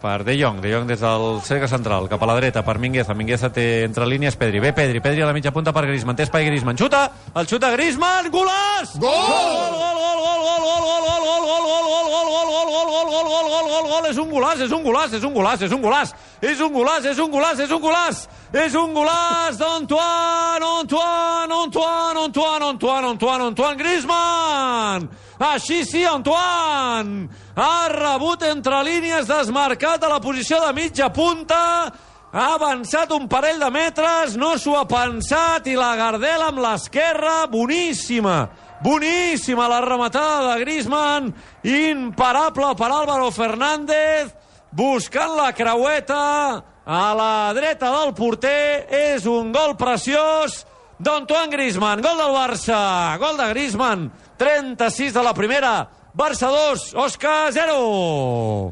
per De Jong des del cercle central, cap a la dreta per Mingueza. Mingueza té entre línies Pedri. Ve Pedri a la mitja punta per Griezmann. Té espai Griezmann. Xuta! El xuta Griezmann! Golaç! Gol! Gol! És un golaç d'Antoine Griezmann! Així sí, Antoine! Ha rebut entre línies, desmarcat a la posició de mitja punta, ha avançat un parell de metres, no s'ho ha pensat, i la Gardel amb l'esquerra, boníssima la rematada de Griezmann, imparable per Álvaro Fernández, buscant la creueta a la dreta del porter. És un gol preciós d'Antoine Griezmann, gol del Barça, gol de Griezmann, 36 de la primera, Barça 2, Osca 0.